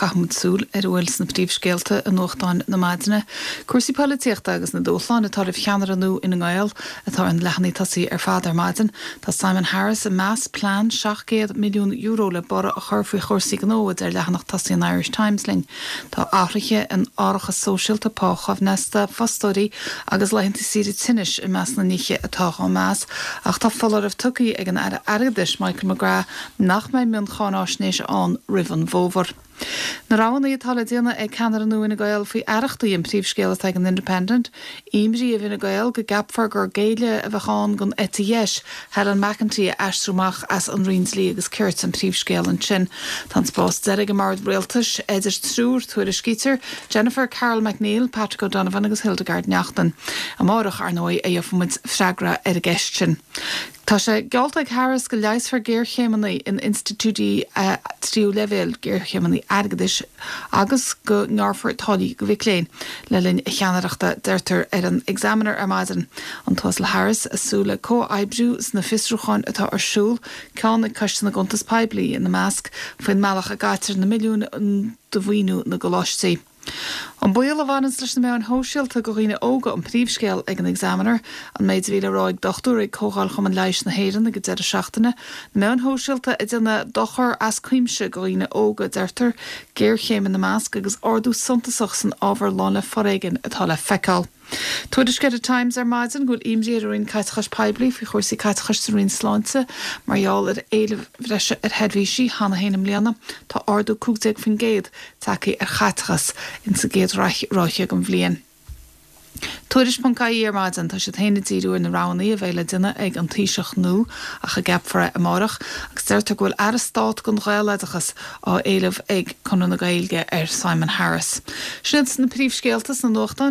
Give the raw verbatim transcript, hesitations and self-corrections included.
Caithfimid súil ar a bhfuil sna príomhscéalta i nuachtáin na maidine. Cúrsaí polaitíochta agus na dúshláin atá roimh cheannaire nua Fhine Gael atá ar na leathanaigh tosaigh ar fad ar maidin. Tá Simon Harris ag meas plean seacht gcéad milliún euro le borradh a chur faoi chúrsaí gnó a deir leathanach tosaigh an Irish Times linn. Tá athruithe in árachas sóisialta, pá choibhneasta fostóirí agus laethanta saoire tinnis i measc na nithe atá á meas, ach tá foláireamh tugtha ag an Aire Airgeadais Michael McGrath nach mbeidh mioncháinaisnéis ann roimh an bhfómhar. Na roghanna atá le déanamh ag ceannaire nua Fhine Gael faoi aireachtaí an príomhscéal atá ag an Independent, Imní i bhFine Gael go gceapfar gur géilleadh a bheadh ann don eite dheis, Helen McEntee a aistriú amach as an Roinn Dlí agus Cirt an príomhscéal ansin. Tá an spás deiridh i mbord rialtais idir triúr tuairiscítear, Jennifer Carroll MacNeill, Patrick O'Donovan agus Hildegarde Naughton. Amárach ar ndóigh a gheobhaimid freagra ar an gceist sin. Tá sé geallta ag Harris go leigheasfar géarchéimeanna in institiúidí tríú leibhéal, géarchéimeanna airgeadais agus go ngearrfar táillí do mhic léinn le linn a cheannaireachta, deirtear ar an Examiner ar maidin. An tUasal Harris ag súil le comhoibriú sna fiosrúcháin atá ar siúl, ceann ag Coiste na gCuntas Poiblí ina measc, faoin mbealach a gcaitear na milliúin de mhaoiniú na gcoláistí. An baol a bhaineanns leis na meáin shóisialta do dhaoine óga an príomhscéal ag an Examiner, an méid a bhí le rá ag dochtúir ag Comhdháil Chumann Leighis na hÉireann ag an deireadh seachtaine, na meáin shóisialta ag déanamh dochar as cuimse do dhaoine óga, deirtear, géarchéim ina measc agus ardú suntasach san ábhar lán le foréigean atá le feiceáil. Tuairisc ar an Times ar maidin go bhfuil imní ar an Roinn Caiteachais Poiblí faoi chúrsaí caiteachais sa Roinn Sláinte mar gheall ar éileamh bhreise ar sheirbhísí cheana féin i mbliana. Tá ardú cúig déag faoin gcéad tagtha ar chaiteachas insa gcéad ráithe den bhliain. Tuairisc.ie ar maidin tá siad féin ag díriú ar na roghanna a bheidh le déanamh ag an Taoiseach nua ach a gceapfar é amárach agus deirtear go bhfuil aire stáit don Ghaeloideachas á éileamh ag Conradh na Gaeilge ar Simon Harris. Sin iad na príomhscéalta sna nuachtáin.